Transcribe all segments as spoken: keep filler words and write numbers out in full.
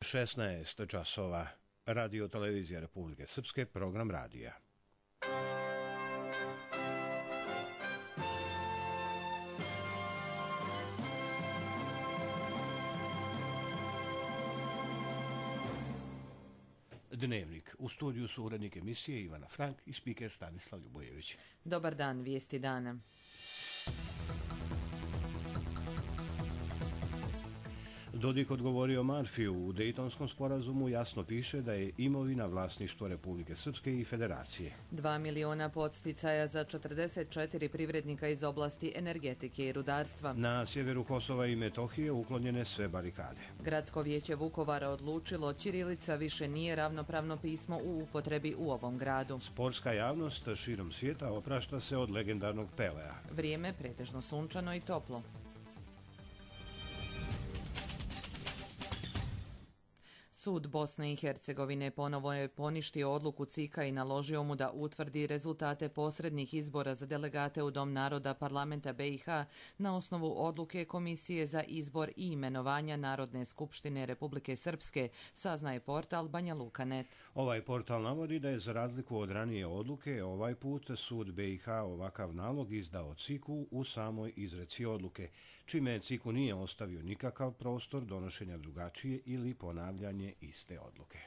šesnaest časova. Radio televizija Republike Srpske, program radija. Dnevnik. U studiju su urednik emisije Ivana Frank i spiker Stanislav Ljubojević. Dobar dan, vijesti dana. Dodik odgovorio Marfiju. U Dejtonskom sporazumu jasno piše da je imovina vlasništvo Republike Srpske i Federacije. Dva miliona podsticaja za četrdeset četiri privrednika iz oblasti energetike i rudarstva. Na sjeveru Kosova i Metohije uklonjene sve barikade. Gradsko vijeće Vukovara odlučilo ćirilica više nije ravnopravno pismo u upotrebi u ovom gradu. Sportska javnost širom svijeta oprašta se od legendarnog Pelea. Vrijeme pretežno sunčano i toplo. Sud Bosne i Hercegovine ponovo je poništio odluku C I K-a i naložio mu da utvrdi rezultate posrednih izbora za delegate u Dom naroda parlamenta B i H na osnovu odluke Komisije za izbor i imenovanja Narodne skupštine Republike Srpske, saznaje portal Banja Luka net. Ovaj portal navodi da je za razliku od ranije odluke ovaj put sud B i H ovakav nalog izdao C I K-u u samoj izreci odluke, čime C I K u nije ostavio nikakav prostor donošenja drugačije ili ponavljanje iste odluke.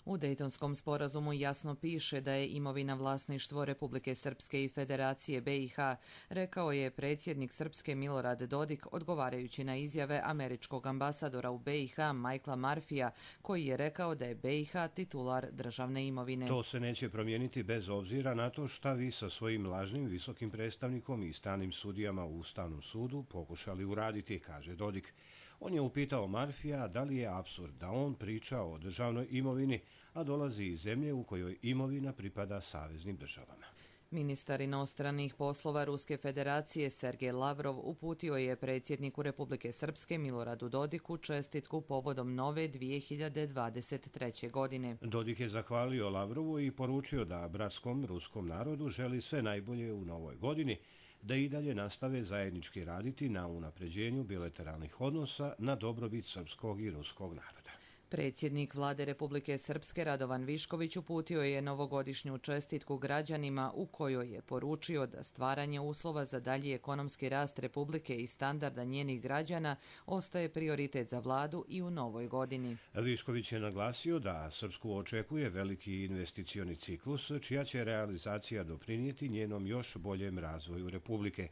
U Dejtonskom sporazumu jasno piše da je imovina vlasništvo Republike Srpske i Federacije B i H, rekao je predsjednik Srpske Milorad Dodik odgovarajući na izjave američkog ambasadora u B i H Michaela Marfija, koji je rekao da je B i H titular državne imovine. To se neće promijeniti bez obzira na to šta vi sa svojim lažnim visokim predstavnikom i stranim sudijama u Ustavnom sudu pokušali uraditi, kaže Dodik. On je upitao Marfija da li je apsurd da on priča o državnoj imovini, a dolazi iz zemlje u kojoj imovina pripada saveznim državama. Ministar inostranih poslova Ruske federacije Sergej Lavrov uputio je predsjedniku Republike Srpske Miloradu Dodiku čestitku povodom nove dvije hiljade dvadeset treće. godine. Dodik je zahvalio Lavrovu i poručio da bratskom ruskom narodu želi sve najbolje u novoj godini, da i dalje nastave zajednički raditi na unapređenju bilateralnih odnosa na dobrobit srpskog i ruskog naroda. Predsjednik Vlade Republike Srpske Radovan Višković uputio je novogodišnju čestitku građanima u kojoj je poručio da stvaranje uslova za dalji ekonomski rast Republike i standarda njenih građana ostaje prioritet za vladu i u novoj godini. Višković je naglasio da Srpsku očekuje veliki investicioni ciklus, čija će realizacija doprinijeti njenom još boljem razvoju Republike.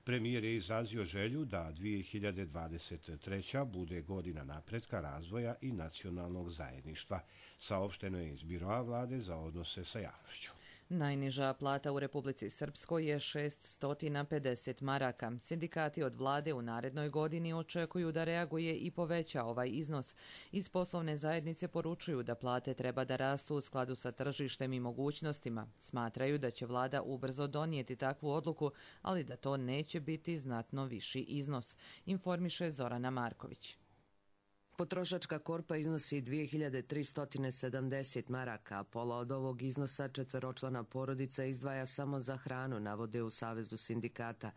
Premijer je izrazio želju da dvije hiljade dvadeset treća. bude godina napretka, razvoja i nacionalnog zajedništva, saopšteno je iz Biroa vlade za odnose sa javnošću. Najniža plata u Republici Srpskoj je šeststo pedeset maraka. Sindikati od vlade u narednoj godini očekuju da reaguje i poveća ovaj iznos. Iz poslovne zajednice poručuju da plate treba da rastu u skladu sa tržištem i mogućnostima. Smatraju da će vlada ubrzo donijeti takvu odluku, ali da to neće biti znatno viši iznos, informiše Zorana Marković. Potrošačka korpa iznosi dvije hiljade tristo sedamdeset maraka, a pola od ovog iznosa četveročlana porodica izdvaja samo za hranu, navode u Savezu sindikata.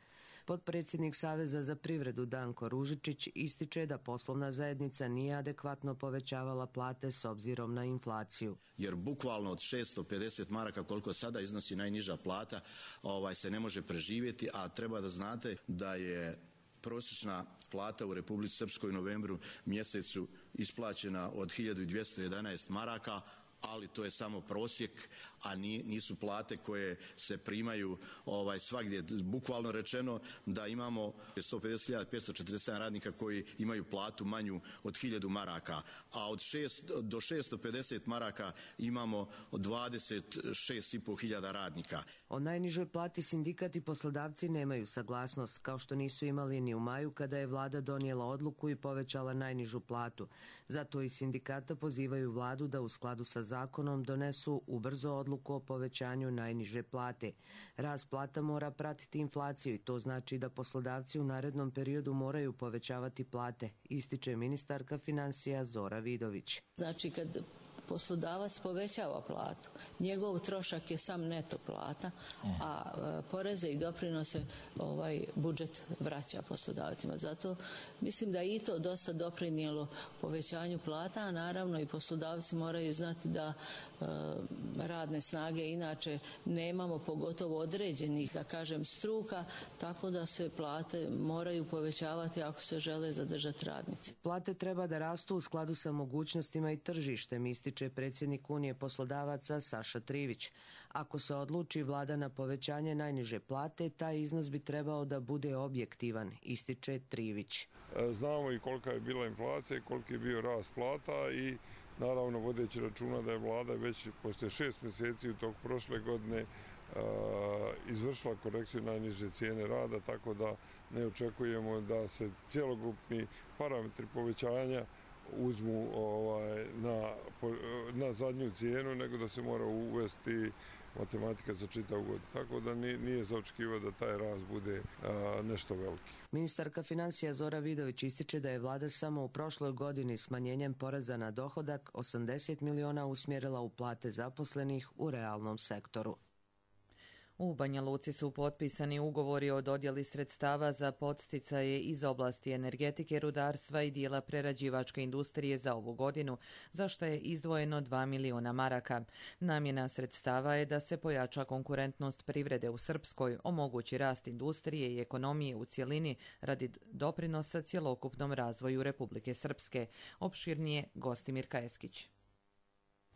Potpredsjednik Saveza za privredu Danko Ružičić ističe da poslovna zajednica nije adekvatno povećavala plate s obzirom na inflaciju. Jer bukvalno od šeststo pedeset maraka koliko sada iznosi najniža plata ovaj, se ne može preživjeti, a treba da znate da je prosječna plata u Republici Srpskoj u novembru mjesecu isplaćena od hiljadu dvjesto jedanaest maraka, ali to je samo prosjek, a nisu plate koje se primaju ovaj, svagdje. Bukvalno rečeno da imamo sto pedeset hiljada petsto četrdeset sedam radnika koji imaju platu manju od hiljadu maraka, a od šest do šeststo pedeset maraka imamo dvadeset šest i po hiljada radnika. O najnižoj plati sindikat i poslodavci nemaju saglasnost, kao što nisu imali ni u maju kada je vlada donijela odluku i povećala najnižu platu. Zato i sindikata pozivaju vladu da u skladu sa zakonom donesu ubrzo odluku o povećanju najniže plate. Rast plata mora pratiti inflaciju i to znači da poslodavci u narednom periodu moraju povećavati plate, ističe ministarka financija Zora Vidović. Znači kad poslodavac povećava platu, njegov trošak je sam neto plata, a poreze i doprinose ovaj budžet vraća poslodavcima. Zato mislim da i to dosta doprinijelo povećanju plata, a naravno i poslodavci moraju znati da e, radne snage inače nemamo, pogotovo određenih, da kažem, struka, tako da se plate moraju povećavati ako se žele zadržati radnici. Plate treba da rastu u skladu sa mogućnostima i tržištem, ističe predsjednik Unije poslodavaca Saša Trivić. Ako se odluči vlada na povećanje najniže plate, taj iznos bi trebao da bude objektivan, ističe Trivić. Znamo i kolika je bila inflacija i koliki je bio rast plata i naravno vodeći računa da je vlada već poslije šest mjeseci u tog prošle godine izvršila korekciju najniže cijene rada, tako da ne očekujemo da se cjelokupni parametri povećanja uzmu ovaj, na, na zadnju cijenu, nego da se mora uvesti matematika za čitavu godinu. Tako da nije za očekivati da taj rast bude a, nešto veliki. Ministarka financija Zora Vidović ističe da je vlada samo u prošloj godini smanjenjem poreza na dohodak osamdeset miliona usmjerila u plate zaposlenih u realnom sektoru. U Banja Luci su potpisani ugovori o dodjeli sredstava za podsticaje iz oblasti energetike, rudarstva i dijela prerađivačke industrije za ovu godinu, za što je izdvojeno dva miliona maraka. Namjena sredstava je da se pojača konkurentnost privrede u Srpskoj, omogući rast industrije i ekonomije u cjelini radi doprinosa cjelokupnom razvoju Republike Srpske. Opširnije Gostimir Kajeskić.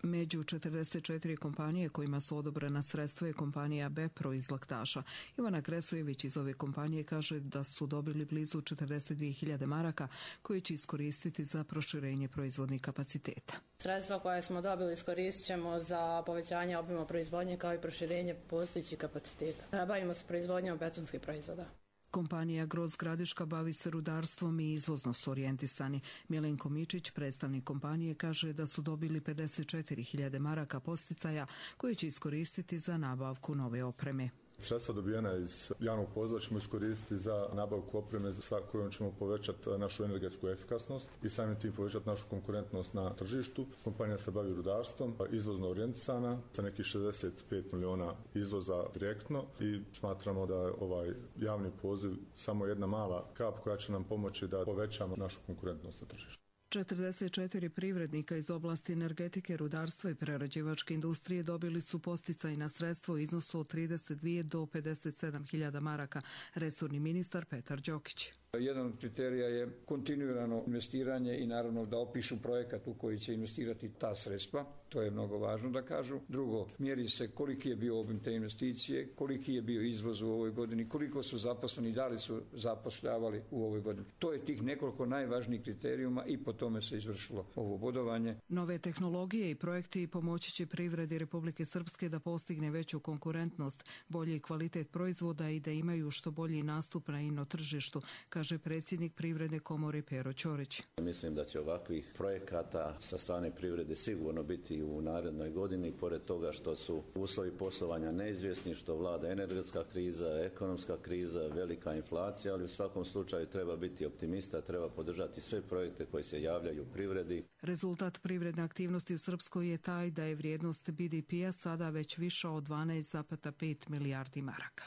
Među četrdeset četiri kompanije kojima su odobrena sredstva je kompanija Bepro iz Laktaša. Ivana Kresojević iz ove kompanije kaže da su dobili blizu četrdeset dvije hiljade maraka koje će iskoristiti za proširenje proizvodnih kapaciteta. Sredstva koje smo dobili iskoristit ćemo za povećanje obima proizvodnje kao i proširenje postojećih kapaciteta. Bavimo se proizvodnjom betonskih proizvoda. Kompanija Groz Gradiška bavi se rudarstvom i izvozno su orijentisani. Milenko Mičić, predstavnik kompanije, kaže da su dobili pedeset četiri hiljade maraka podsticaja koje će iskoristiti za nabavku nove opreme. Sredstva dobijena iz javnog poziva ćemo iskoristiti za nabavku opreme sa kojom ćemo povećati našu energetsku efikasnost i samim tim povećati našu konkurentnost na tržištu. Kompanija se bavi rudarstvom, izvozno orijentisana, sa nekih šezdeset pet miliona izvoza direktno i smatramo da je ovaj javni poziv samo jedna mala kap koja će nam pomoći da povećamo našu konkurentnost na tržištu. četrdeset četiri privrednika iz oblasti energetike, rudarstva i prerađivačke industrije dobili su podsticajna sredstva u iznosu od trideset dvije do pedeset sedam hiljada maraka, resorni ministar Petar Đokić. Jedan od kriterija je kontinuirano investiranje i naravno da opišu projekat u koji će investirati ta sredstva, to je mnogo važno da kažu. Drugo, mjeri se koliki je bio obim te investicije, koliki je bio izvoz u ovoj godini, koliko su zaposleni, da li su zapošljavali u ovoj godini. To je tih nekoliko najvažnijih kriterijuma i po tome se izvršilo ovo bodovanje. Nove tehnologije i projekti pomoći će privredi Republike Srpske da postigne veću konkurentnost, bolji kvalitet proizvoda i da imaju što bolji nastup na ino tržištu, kaže predsjednik Privredne komore Pero Ćorić. Mislim da će ovakvih projekata sa strane privrede sigurno biti u narednoj godini, pored toga što su uslovi poslovanja neizvjesni, što vlada energetska kriza, ekonomska kriza, velika inflacija, ali u svakom slučaju treba biti optimista, treba podržati sve projekte koji se javljaju u privredi. Rezultat privredne aktivnosti u Srpskoj je taj da je vrijednost B D P-a sada već viša od dvanaest zarez pet milijardi maraka.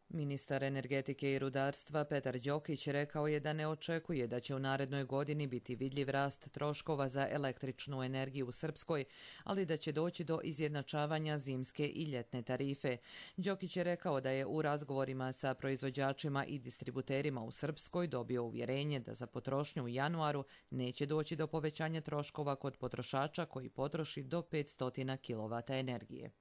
Ministar energetike i rudarstva Petar Đokić rekao je da ne očekuje da će u narednoj godini biti vidljiv rast troškova za električnu energiju u Srpskoj, ali da će doći do izjednačavanja zimske i ljetne tarife. Đokić je rekao da je u razgovorima sa proizvođačima i distributerima u Srpskoj dobio uvjerenje da za potrošnju u januaru neće doći do povećanja troškova kod potrošača koji potroši do petsto kilovata energije.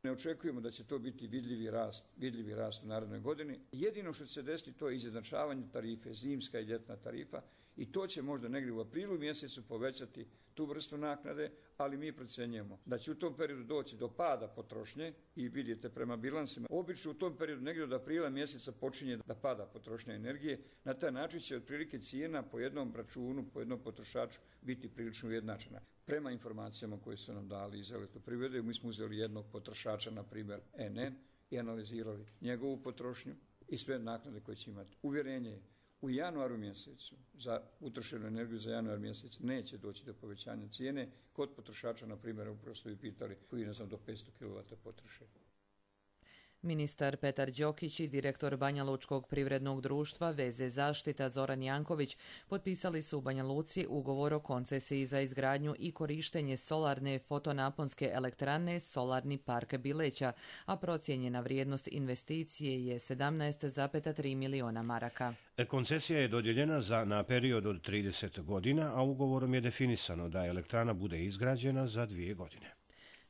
Ne očekujemo da će to biti vidljivi rast, vidljivi rast u narednoj godini. Jedino što će se desiti to je izjednačavanje tarife, zimska i ljetna tarifa, i to će možda negdje u aprilu mjesecu povećati tu vrstu naknade, ali mi procjenjujemo da će u tom periodu doći do pada potrošnje i vidite prema bilansima. Obično u tom periodu negdje od aprila mjeseca počinje da pada potrošnja energije. Na taj način će otprilike cijena po jednom računu, po jednom potrošaču biti prilično ujednačena. Prema informacijama koje su nam dali iz elektroprivrede, mi smo uzeli jednog potrošača, na primjer N N, i analizirali njegovu potrošnju i sve naknade koje će imati. Uvjerenje je, U januaru mjesecu, za utrošenu energiju za januar mjesec, neće doći do povećanja cijene. Kod potrošača, na primjer, upravo ste pitali, koji ne znam do petsto kilovata potroše. Ministar Petar Đokić i direktor Banja Lučkog privrednog društva Veze zaštita Zoran Janković potpisali su u Banja Luci ugovor o koncesiji za izgradnju i korištenje solarne fotonaponske elektrane Solarni park Bileća, a procijenjena vrijednost investicije je sedamnaest zarez tri miliona maraka. Koncesija je dodijeljena za na period od trideset godina, a ugovorom je definisano da elektrana bude izgrađena za dvije godine.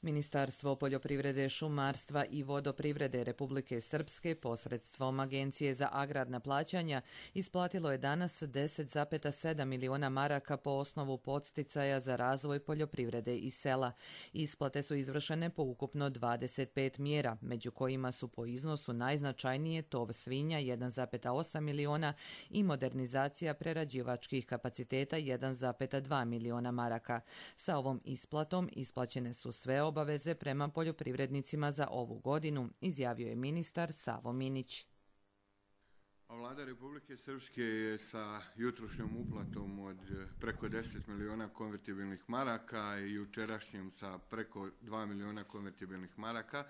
Ministarstvo poljoprivrede, šumarstva i vodoprivrede Republike Srpske posredstvom Agencije za agrarna plaćanja isplatilo je danas deset zarez sedam miliona maraka po osnovu podsticaja za razvoj poljoprivrede i sela. Isplate su izvršene po ukupno dvadeset pet mjera, među kojima su po iznosu najznačajnije tov svinja jedan zarez osam miliona i modernizacija prerađivačkih kapaciteta jedan zarez dva miliona maraka. Sa ovom isplatom isplaćene su sve obaveze prema poljoprivrednicima za ovu godinu, izjavio je ministar Savo Minić. Vlada Republike Srpske je sa jutrošnjom uplatom od preko deset miliona konvertibilnih maraka i jučerašnjom sa preko dva miliona konvertibilnih maraka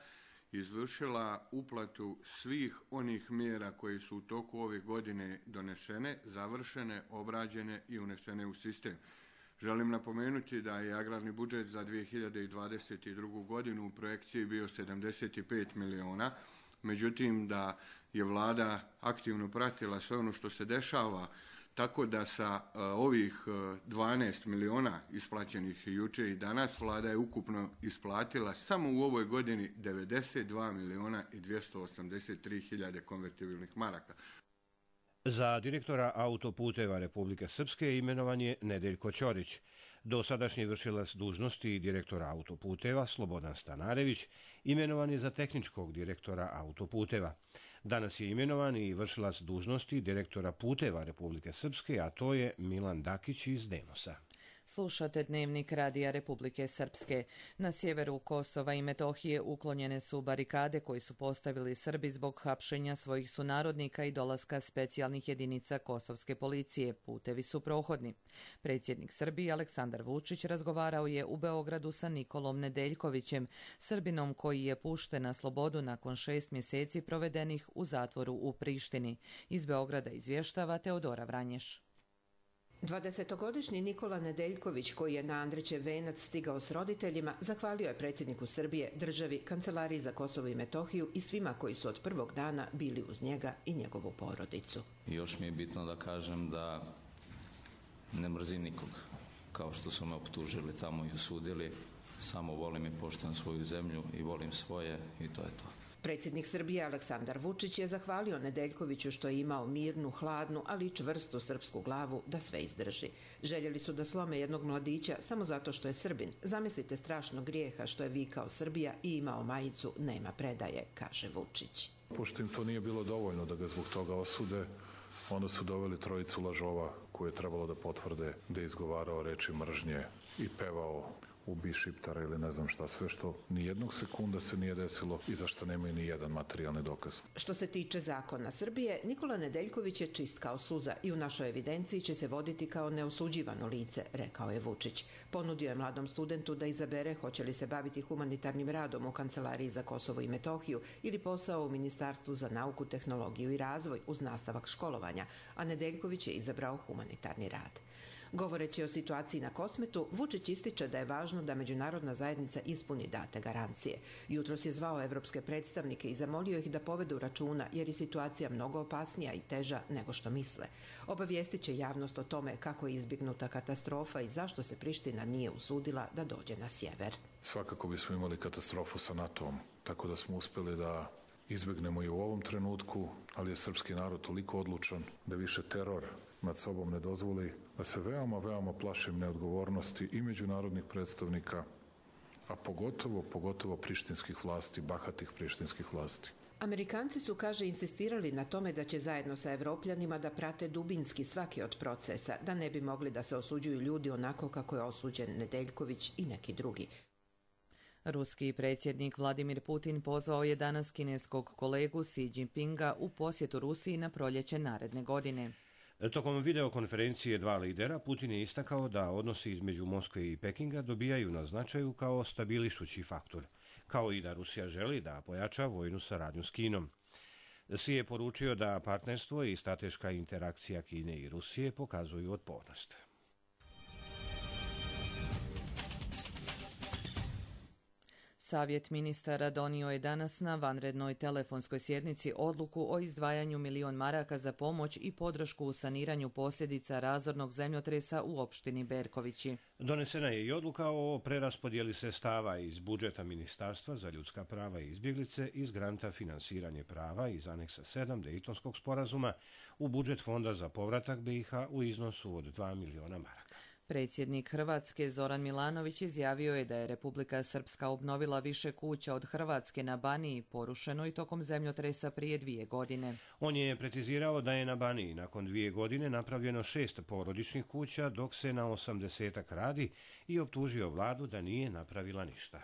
izvršila uplatu svih onih mjera koje su u toku ove godine donešene, završene, obrađene i unešene u sistem. Želim napomenuti da je agrarni budžet za dvije hiljade dvadeset drugu. godinu u projekciji bio sedamdeset pet miliona, međutim da je vlada aktivno pratila sve ono što se dešava, tako da sa uh, ovih uh, dvanaest miliona isplaćenih juče i danas vlada je ukupno isplatila samo u ovoj godini devedeset dva miliona i dvjesto osamdeset tri hiljade konvertibilnih maraka. Za direktora autoputeva Republike Srpske imenovan je Nedeljko Ćorić. Dosadašnji vršilac dužnosti direktora autoputeva Slobodan Stanarević imenovan je za tehničkog direktora autoputeva. Danas je imenovan i vršilac dužnosti direktora puteva Republike Srpske, a to je Milan Dakić iz Demosa. Slušate Dnevnik Radija Republike Srpske. Na sjeveru Kosova i Metohije uklonjene su barikade koje su postavili Srbi zbog hapšenja svojih sunarodnika i dolaska specijalnih jedinica kosovske policije. Putevi su prohodni. Predsjednik Srbije Aleksandar Vučić razgovarao je u Beogradu sa Nikolom Nedeljkovićem, Srbinom koji je pušten na slobodu nakon šest mjeseci provedenih u zatvoru u Prištini. Iz Beograda izvještava Teodora Vranješ. dvadesetogodišnji Nikola Nedeljković, koji je na Andrićev venac stigao s roditeljima, zahvalio je predsjedniku Srbije, državi, Kancelariji za Kosovo i Metohiju i svima koji su od prvog dana bili uz njega i njegovu porodicu. Još mi je bitno da kažem da ne mrzim nikog, kao što su me optužili tamo i osudili. Samo volim i poštujem svoju zemlju i volim svoje i to je to. Predsjednik Srbije Aleksandar Vučić je zahvalio Nedeljkoviću što je imao mirnu, hladnu, ali i čvrstu srpsku glavu da sve izdrži. Željeli su da slome jednog mladića samo zato što je Srbin. Zamislite strašnog grijeha što je vikao Srbija i imao majicu "Nema predaje", kaže Vučić. Pošto im to nije bilo dovoljno da ga zbog toga osude, onda su doveli trojicu lažova koje je trebalo da potvrde da je izgovarao reči mržnje i pevao "Ubi Šiptara" ili ne znam šta, sve što ni jednog sekunda se nije desilo i za što nemaju ni jedan materijalni dokaz. Što se tiče zakona Srbije, Nikola Nedeljković je čist kao suza i u našoj evidenciji će se voditi kao neosuđivano lice, rekao je Vučić. Ponudio je mladom studentu da izabere hoće li se baviti humanitarnim radom u Kancelariji za Kosovo i Metohiju ili posao u Ministarstvu za nauku, tehnologiju i razvoj uz nastavak školovanja, a Nedeljković je izabrao humanitarni rad. Govoreći o situaciji na Kosmetu, Vučić ističe da je važno da međunarodna zajednica ispuni date garancije. Jutros je zvao evropske predstavnike i zamolio ih da povedu računa jer je situacija mnogo opasnija i teža nego što misle. Obavijestit će javnost o tome kako je izbjegnuta katastrofa i zašto se Priština nije usudila da dođe na sjever. Svakako bismo imali katastrofu sa NATO-om, tako da smo uspjeli da izbjegnemo i u ovom trenutku, ali je srpski narod toliko odlučan da više teror nad sobom ne dozvoli, da se veoma, veoma plašim neodgovornosti i međunarodnih predstavnika, a pogotovo, pogotovo prištinskih vlasti, bahatih prištinskih vlasti. Amerikanci su, kaže, insistirali na tome da će zajedno sa Evropljanima da prate dubinski svaki od procesa, da ne bi mogli da se osuđuju ljudi onako kako je osuđen Nedeljković i neki drugi. Ruski predsjednik Vladimir Putin pozvao je danas kineskog kolegu Xi Jinpinga u posjetu Rusiji na proljeće naredne godine. Tokom videokonferencije dva lidera, Putin je istakao da odnosi između Moskve i Pekinga dobijaju na značaju kao stabilišući faktor, kao i da Rusija želi da pojača vojnu saradnju s Kinom. Si je poručio da partnerstvo i strateška interakcija Kine i Rusije pokazuju otpornost. Savjet ministara donio je danas na vanrednoj telefonskoj sjednici odluku o izdvajanju milion maraka za pomoć i podršku u saniranju posljedica razornog zemljotresa u opštini Berkovići. Donesena je i odluka o preraspodjeli sredstava iz budžeta Ministarstva za ljudska prava i izbjeglice iz granta finansiranje prava iz aneksa sedam Dejtonskog sporazuma u budžet Fonda za povratak B i H u iznosu od dva miliona maraka. Predsjednik Hrvatske Zoran Milanović izjavio je da je Republika Srpska obnovila više kuća od Hrvatske na Baniji, porušenoj tokom zemljotresa prije dvije godine. On je precizirao da je na Baniji nakon dvije godine napravljeno šest porodičnih kuća, dok se na osamdesetak radi, i optužio vladu da nije napravila ništa.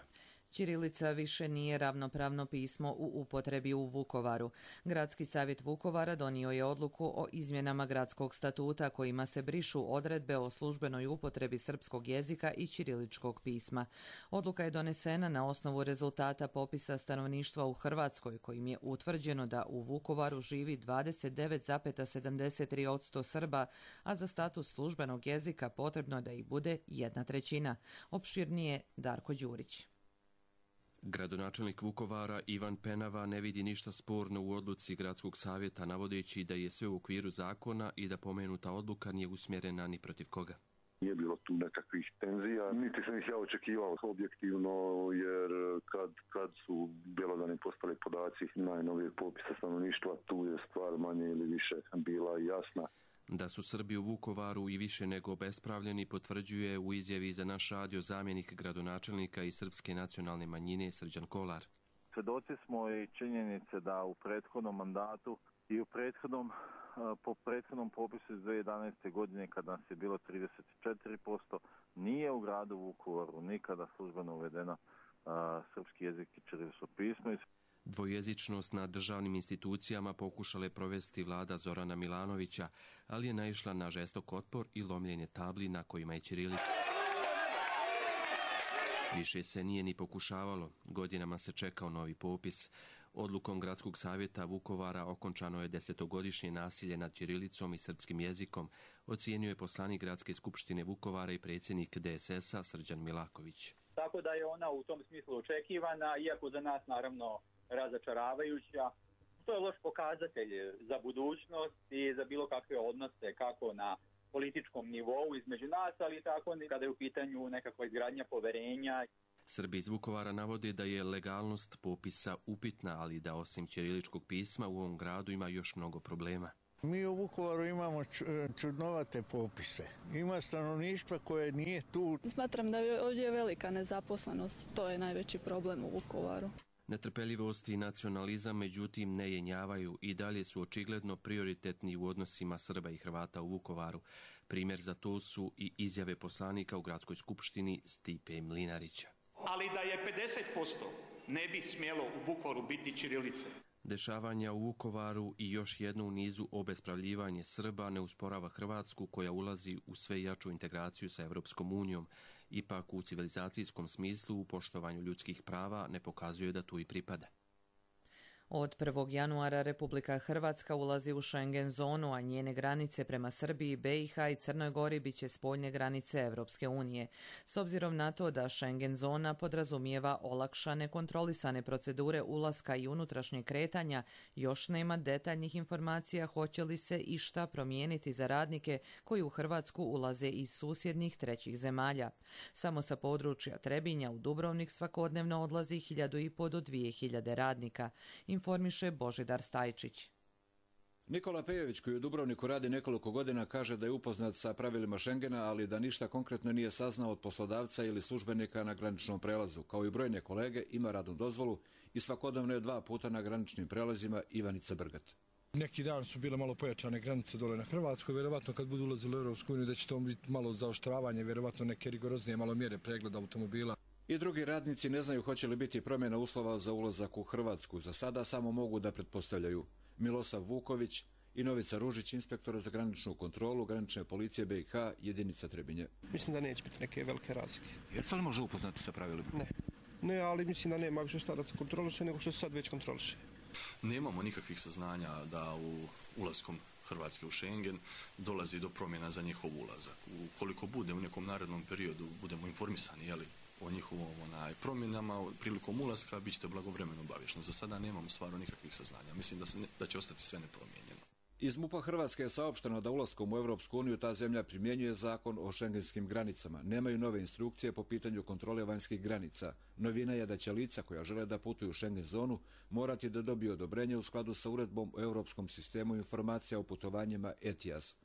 Ćirilica više nije ravnopravno pismo u upotrebi u Vukovaru. Gradski savjet Vukovara donio je odluku o izmjenama gradskog statuta kojima se brišu odredbe o službenoj upotrebi srpskog jezika i ćiriličkog pisma. Odluka je donesena na osnovu rezultata popisa stanovništva u Hrvatskoj, kojim je utvrđeno da u Vukovaru živi dvadeset devet zarez sedamdeset tri posto Srba, a za status službenog jezika potrebno da ih bude jedna trećina. Opširnije Darko Đurić. Gradonačelnik Vukovara Ivan Penava ne vidi ništa sporno u odluci gradskog savjeta, navodeći da je sve u okviru zakona i da pomenuta odluka nije usmjerena ni protiv koga. Nije bilo tu nekakvih tenzija, niti sam ih ja očekivao objektivno, jer kad, kad su bjelodani postali podaci najnovijeg popisa stanovništva, tu je stvar manje ili više bila jasna. Da su Srbi u Vukovaru i više nego obespravljeni potvrđuje u izjavi za naš radio zamjenik gradonačelnika i srpske nacionalne manjine Srđan Kolar. Svedoci smo i činjenice da u prethodnom mandatu i u prethodnom, po prethodnom popisu iz dvije hiljade jedanaeste. godine, kada nas je bilo trideset četiri posto, nije u gradu Vukovaru nikada službeno uvedeno srpski jezik i ćirilično pismo. Dvojezičnost na državnim institucijama pokušale provesti vlada Zorana Milanovića, ali je naišla na žestok otpor i lomljenje tabli na kojima je ćirilica. Više se nije ni pokušavalo, godinama se čekao novi popis. Odlukom Gradskog savjeta Vukovara okončano je desetogodišnje nasilje nad ćirilicom i srpskim jezikom, ocijenio je poslanik Gradske skupštine Vukovara i predsjednik D S S-a Srđan Milaković. Tako da je ona u tom smislu očekivana, iako za nas naravno razočaravajuća. To je loš pokazatelj za budućnost i za bilo kakve odnose, kako na političkom nivou između nas, ali tako kada je u pitanju nekakva izgradnja poverenja. Srbi iz Vukovara navode da je legalnost popisa upitna, ali da osim ćiriličkog pisma u ovom gradu ima još mnogo problema. Mi u Vukovaru imamo čudnovate popise. Ima stanovništva koje nije tu. Smatram da je ovdje velika nezaposlenost. To je najveći problem u Vukovaru. Netrpeljivost i nacionalizam međutim ne jenjavaju i dalje su očigledno prioritetni u odnosima Srba i Hrvata u Vukovaru. Primjer za to su i izjave poslanika u Gradskoj skupštini Stipe Mlinarića. Ali da je pedeset posto ne bi smjelo u Vukovaru biti ćirilice. Dešavanja u Vukovaru i još jedno u nizu obespravljivanje Srba ne usporava Hrvatsku, koja ulazi u sve jaču integraciju sa Evropskom unijom. Ipak u civilizacijskom smislu u poštovanju ljudskih prava ne pokazuje da tu i pripada. Od prvog januara Republika Hrvatska ulazi u Schengen zonu, a njene granice prema Srbiji, B i H i Crnoj Gori biće spoljne granice Evropske unije. S obzirom na to da Schengen zona podrazumijeva olakšane kontrolisane procedure ulaska i unutrašnjeg kretanja, još nema detaljnih informacija hoće li se išta promijeniti za radnike koji u Hrvatsku ulaze iz susjednih trećih zemalja. Samo sa područja Trebinja u Dubrovnik svakodnevno odlazi hiljadu i po do dvije hiljade radnika, informiše Božidar Stajčić. Nikola Pejović, koji u Dubrovniku radi nekoliko godina, kaže da je upoznat sa pravilima Schengena, ali da ništa konkretno nije saznao od poslodavca ili službenika na graničnom prelazu. Kao i brojne kolege, ima radnu dozvolu i svakodnevno je dva puta na graničnim prelazima. Ivanica Brgat. Neki dan su bile malo pojačane granice dole na Hrvatskoj, vjerovatno kad budu ulazili u Europsku uniju da će to biti malo zaoštravanje, vjerovatno neke rigoroznije malo mjere pregleda automobila. I drugi radnici ne znaju hoće li biti promjena uslova za ulazak u Hrvatsku. Za sada samo mogu da pretpostavljaju. Milosav Vuković i Novica Ružić, inspektora za graničnu kontrolu granične policije B i H, jedinica Trebinje. Mislim da neće biti neke velike razlike. Jeste li možda upoznati sa pravilima? Ne. Ne, ali mislim da nema više šta da se kontroliše nego što se sad već kontroliše. Nemamo nikakvih saznanja da u ulaskom Hrvatske u Schengen dolazi do promjena za njihov ulazak. Ukoliko bude u nekom narednom periodu budemo informisani jeli, o njihovom onaj, promjenama prilikom ulaska, bit ćete blagovremeno obavješteni. Za sada nemamo stvarno nikakvih saznanja. Mislim da, se ne, da će ostati sve nepromijenjeno. Iz MUP-a Hrvatske je saopšteno da ulaskom u Europsku uniju ta zemlja primjenjuje zakon o šengenskim granicama. Nemaju nove instrukcije po pitanju kontrole vanjskih granica. Novina je da će lica koja žele da putuju u Schengen zonu morati da dobiju odobrenje u skladu sa uredbom o Europskom sistemu informacija o putovanjima E T I A S.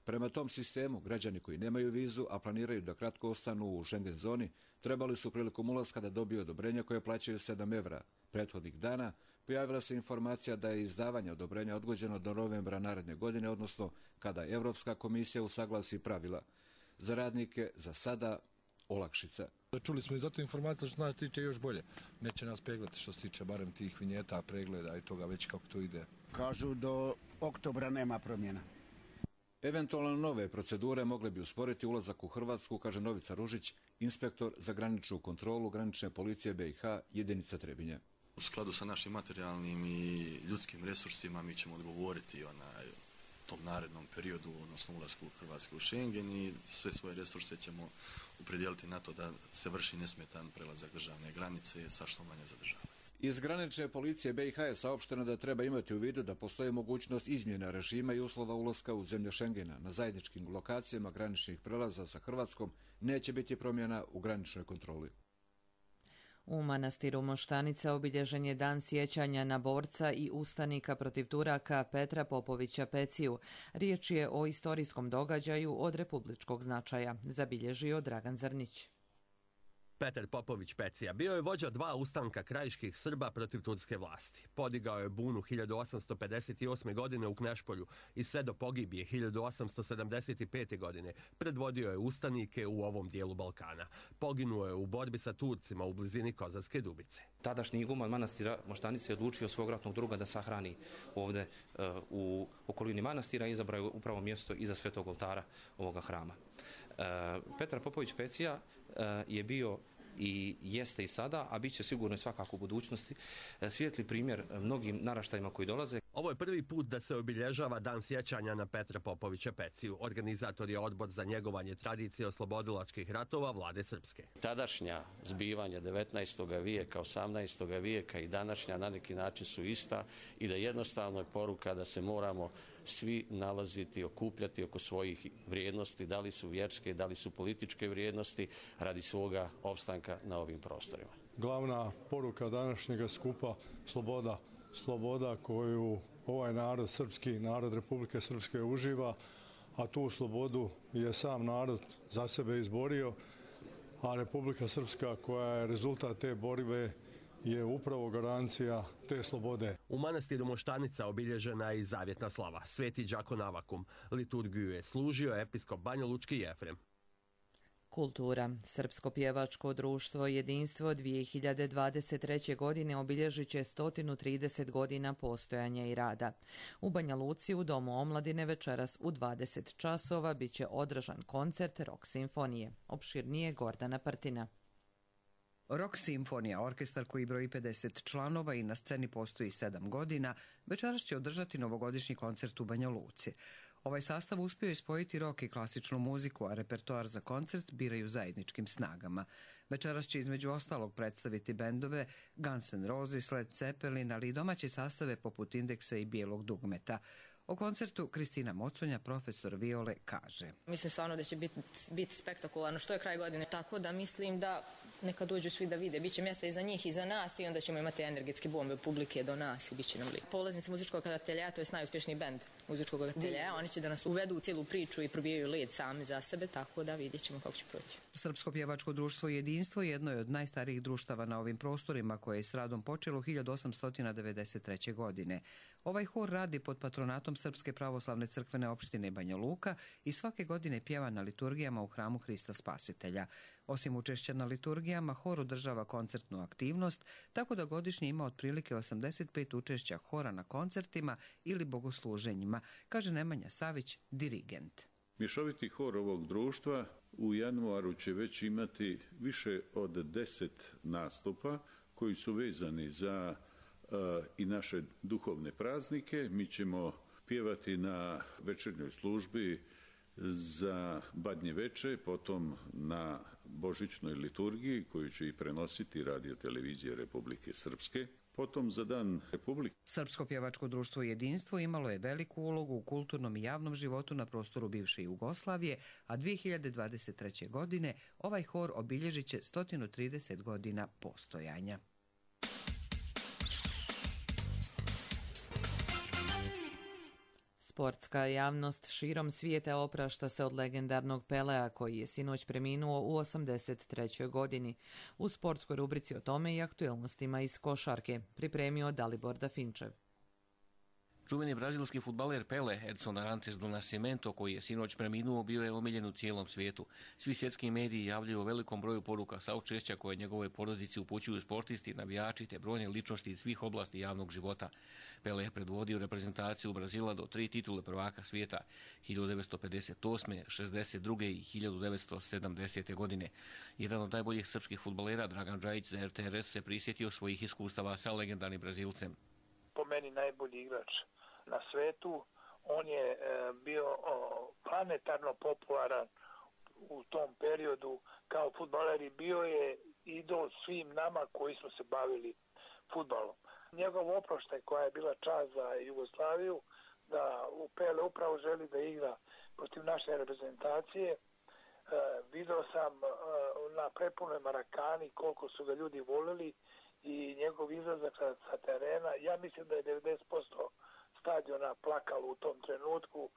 Prema tom sistemu, građani koji nemaju vizu, a planiraju da kratko ostanu u Schengen zoni, trebali su prilikom ulaska da dobiju odobrenje koje plaćaju sedam evra. Prethodnih dana pojavila se informacija da je izdavanje odobrenja odgođeno do novembra naredne godine, odnosno kada Europska komisija usaglasi pravila. Za radnike za sada olakšica. Čuli smo i zato informacija što nas tiče još bolje. Neće nas peglati što se tiče barem tih vinjeta, pregleda i toga već kako to ide. Kažu do oktobra nema promjena. Eventualno nove procedure mogle bi usporiti ulazak u Hrvatsku, kaže Novica Ružić, inspektor za graničnu kontrolu granične policije B i H, jedinica Trebinje. U skladu sa našim materijalnim i ljudskim resursima mi ćemo odgovoriti onaj, tom narednom periodu, odnosno ulasku Hrvatske u Schengen i sve svoje resurse ćemo upredijeliti na to da se vrši nesmetan prelazak državne granice sa što manje zadržavanja. Iz granične policije B i H je saopšteno da treba imati u vidu da postoji mogućnost izmjena režima i uslova ulaska u zemlje Schengena. Na zajedničkim lokacijama graničnih prelaza sa Hrvatskom neće biti promjena u graničnoj kontroli. U manastiru Moštanica obilježen je dan sjećanja na borca i ustanika protiv Turaka Petra Popovića Peciju. Riječ je o istorijskom događaju od republičkog značaja, zabilježio Dragan Zrnić. Petar Popović Pecija bio je vođa dva ustanka krajiških Srba protiv turske vlasti. Podigao je bunu hiljadu osamsto pedeset osme. godine u Knešpolju i sve do pogibije hiljadu osamsto sedamdeset pete. godine predvodio je ustanike u ovom dijelu Balkana. Poginuo je u borbi sa Turcima u blizini Kozarske Dubice. Tadašnji iguman manastira Moštanice je odlučio svog ratnog druga da sahrani ovdje uh, u okolini manastira i izabrao je upravo mjesto iza svetog oltara ovoga hrama. Uh, Petar Popović Pecija uh, je bio i jeste i sada, a bit će sigurno i svakako u budućnosti svijetli primjer mnogim naraštajima koji dolaze. Ovo je prvi put da se obilježava dan sjećanja na Petra Popovića Peciju. Organizator je Odbor za njegovanje tradicije oslobodilačkih ratova Vlade Srpske. Tadašnja zbivanja devetnaestog vijeka, osamnaestog vijeka i današnja na neki način su ista i da jednostavno je poruka da se moramo svi nalaziti, okupljati oko svojih vrijednosti, da li su vjerske, da li su političke vrijednosti, radi svoga opstanka na ovim prostorima. Glavna poruka današnjega skupa sloboda, sloboda koju ovaj narod, srpski narod Republike Srpske uživa, a tu slobodu je sam narod za sebe izborio, a Republika Srpska koja je rezultat te borbe je upravo garancija te slobode. U manastiru Moštanica obilježena je i zavjetna slava. Sveti Đakon Avakum. Liturgiju je služio episkop Banjalučki Jefrem. Kultura. Srpsko pjevačko društvo Jedinstvo dvije hiljade dvadeset treće. godine obilježit će sto trideset godina postojanja i rada. U Banja Luci u Domu omladine večeras u dvadeset časova bit će održan koncert Rock simfonije. Opširnije Gordana Partina. Rock simfonija, orkestar koji broji pedeset članova i na sceni postoji sedam godina, večeras će održati novogodišnji koncert u Banja Luci. Ovaj sastav uspio je spojiti rock i klasičnu muziku, a repertoar za koncert biraju zajedničkim snagama. Večeras će između ostalog predstaviti bendove Guns N' Roses, Led Zeppelin, ali i domaće sastave poput Indeksa i Bijelog dugmeta. O koncertu Kristina Moconja, profesor viole, kaže: Mislim stvarno da će biti bit spektakularno, što je kraj godine, tako da mislim da neka dođu svi da vide. Biće mjesta i za njih i za nas i onda ćemo imati energetske bombe publike do nas i bit će nam lijepo. Polaznici muzičkog ateljeja, to je najuspješniji bend muzičkog ateljeja, oni će da nas uvedu u cijelu priču i probijaju led sami za sebe, tako da vidjet ćemo kako će proći. Srpsko pjevačko društvo Jedinstvo jedno je od najstarijih društava na ovim prostorima koje je s radom počelo hiljadu osamsto devedeset treće. godine. Ovaj hor radi pod patronatom Srpske pravoslavne crkvene opštine Banja Luka i svake godine pjeva na liturgijama u hramu Hrista Spasitelja. Osim učešća na liturgijama, hor održava koncertnu aktivnost, tako da godišnje ima otprilike osamdeset pet učešća hora na koncertima ili bogosluženjima, kaže Nemanja Savić, dirigent. Mješoviti hor ovog društva u januaru će već imati više od deset nastupa koji su vezani za uh, i naše duhovne praznike. Mi ćemo pjevati na večernjoj službi za Badnje veče, potom na božićnoj liturgiji koju će i prenositi Radio televizija Republike Srpske. Potom za Dan Republike. Srpsko pjevačko društvo Jedinstvo imalo je veliku ulogu u kulturnom i javnom životu na prostoru bivše Jugoslavije, a dvije hiljade dvadeset treće. godine ovaj hor obilježit će sto trideset godina postojanja. Sportska javnost širom svijeta oprašta se od legendarnog Pelea koji je sinoć preminuo u osamdeset trećoj. godini. U sportskoj rubrici o tome i aktuelnostima iz košarke pripremio Dalibor Dafinčev. Čuveni brazilski fudbaler Pele, Edson Arantes do Nascimento, koji je sinoć preminuo, bio je omiljen u cijelom svijetu. Svi svjetski mediji javljaju o velikom broju poruka saučešća koje njegove porodici upućuju sportisti, navijači te brojne ličnosti iz svih oblasti javnog života. Pele je predvodio reprezentaciju Brazila do tri titule prvaka svijeta hiljadu devetsto pedeset osme, šezdeset druge i hiljadu devetsto sedamdesete. godine. Jedan od najboljih srpskih fudbalera, Dragan Džajić za R T R S, se prisjetio svojih iskustava sa legendarnim Brazilcem. Po meni najbolji igrač na svetu. On je e, bio o, planetarno popularan u tom periodu kao fudbaler i bio je idol svim nama koji smo se bavili fudbalom. Njegov oproštaj koja je bila čast za Jugoslaviju, da u Pele upravo želi da igra protiv naše reprezentacije. E, video sam e, na prepunoj Marakani koliko su ga ljudi volili i njegov izlazak sa, sa terena. Ja mislim da je devedeset posto stadiona plakalo u tom trenutku.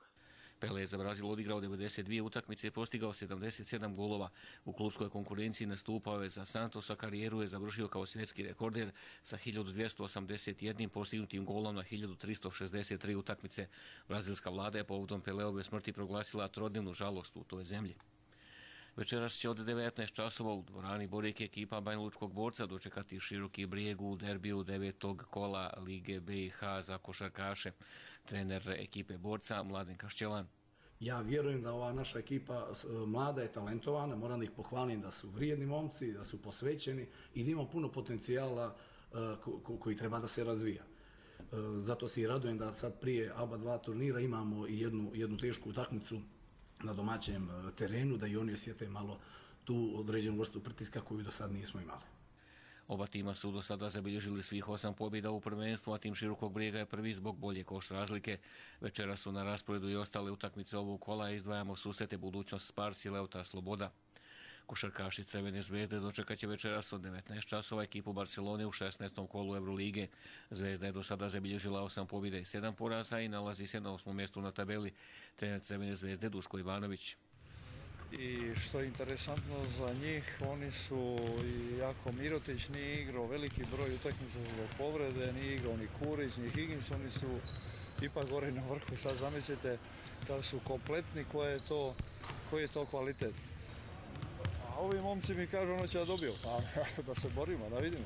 Pele je za Brazil odigrao devedeset dvije utakmice i postigao sedamdeset sedam golova. U klubskoj konkurenciji nastupao je za Santosa, karijeru je završio kao svjetski rekorder sa hiljadu dvjesto osamdeset jedan postignutim golom na hiljadu tristo šezdeset tri utakmice. Brazilska vlada je povodom Peleove smrti proglasila trodnevnu žalost u toj zemlji. Večeras će od devetnaest časova u dvorani Borek ekipa Banjalučkog Borca dočekati Široki Brijeg u derbiju devetog kola Lige B i H za košarkaše. Trener ekipe Borca Mladen Kašćelan. Ja vjerujem da ova naša ekipa mlada je talentovana, moram da ih pohvalim da su vrijedni momci, da su posvećeni i da ima puno potencijala koji treba da se razvija. Zato se i radujem da sad prije A B A dva turnira imamo i jednu, jednu tešku utakmicu na domaćem terenu, da i oni osjete malo tu određenu vrstu pritiska koju do sad nismo imali. Oba tima su do sada zabilježili svih osam pobjeda u prvenstvu, a tim Širokog Brijega je prvi zbog bolje koš razlike. Večera su na rasporedu i ostale utakmice ovog kola, izdvajamo susrete Budućnost Spars i Leuta Sloboda. Košarkaši Crvene zvezde dočekat će večeras od devetnaest časova ekipu Barcelone u šesnaestom kolu Eurolige. Zvezda je do sada zabilježila osam pobjeda i sedam poraza i nalazi se na osmom mjestu na tabeli. Trener Crvene zvezde Duško Ivanović. I što je interesantno za njih, oni su i jako Mirotić nije igrao veliki broj utakmica zbog povrede, nije igrao ni Kurić, ni Higgins, oni su ipak gore na vrhu. Sad zamislite kada su kompletni koji je to, koji je to kvalitet. A ovi momci mi kažu ono će da dobiju, pa da se borimo, da vidimo.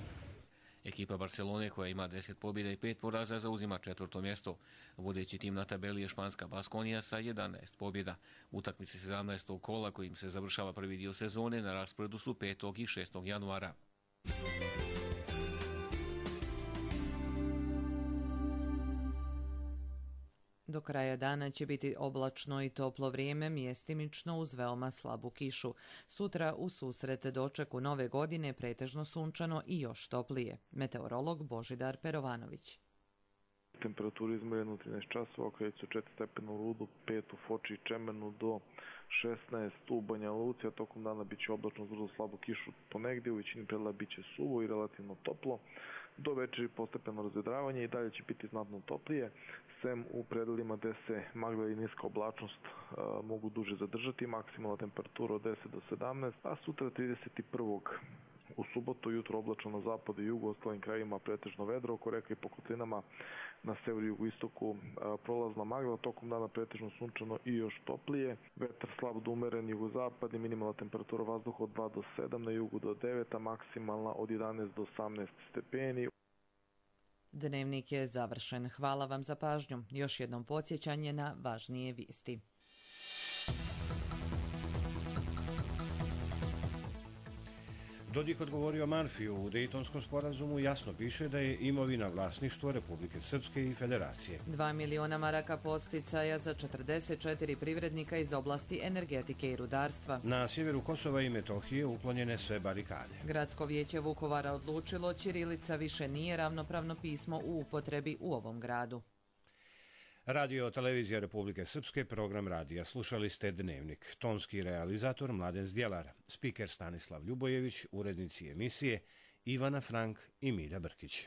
Ekipa Barcelone koja ima deset pobjeda i pet poraza zauzima četvrto mjesto. Vodeći tim na tabeli je španska Baskonija sa jedanaest pobjeda. Utakmice sedamnaestog kola kojim se završava prvi dio sezone na rasporedu su petog i šestog januara. Do kraja dana će biti oblačno i toplo vrijeme, mjestimično uz veoma slabu kišu. Sutra u susret dočeku nove godine pretežno sunčano i još toplije. Meteorolog Božidar Perovanović. Temperaturi izmereno trinaest časova, kreću četiri stepena u Rudu, pet u Foči i Čemenu do šesnaest u Banja Luci, a tokom dana bit će oblačno uz vrlo slabu kišu ponegdje, u većini predela bit će suvo i relativno toplo. Do večeri postepeno razvedravanje i dalje će biti znatno toplije, sem u predelima gde se magla i niska oblačnost a, mogu duže zadržati, maksimalna temperatura od deset do sedamnaest, a sutra trideset prvog U subotu jutro oblačno na zapadu i jugu, ostalim krajima pretežno vedro, oko reka i po kotlinama na severu i jugoistoku prolazna magla, tokom dana pretežno sunčano i još toplije. Vetar slab do umeren jugozapadni, minimalna temperatura vazduha od dva do sedam, na jugu do devet, a maksimalna od jedanaest do osamnaest stepeni. Dnevnik je završen. Hvala vam za pažnju. Još jednom podsjećanje na važnije vijesti. Dodik odgovorio Manfiju. U Dejtonskom sporazumu jasno piše da je imovina vlasništvo Republike Srpske i Federacije. Dva miliona maraka posticaja za četrdeset četiri privrednika iz oblasti energetike i rudarstva. Na sjeveru Kosova i Metohije uklonjene sve barikade. Gradsko vijeće Vukovara odlučilo ćirilica više nije ravnopravno pismo u upotrebi u ovom gradu. Radio Televizija Republike Srpske, program radija. Slušali ste Dnevnik. Tonski realizator Mladen Zdjelar, spiker Stanislav Ljubojević, urednici emisije Ivana Frank i Milja Brkić.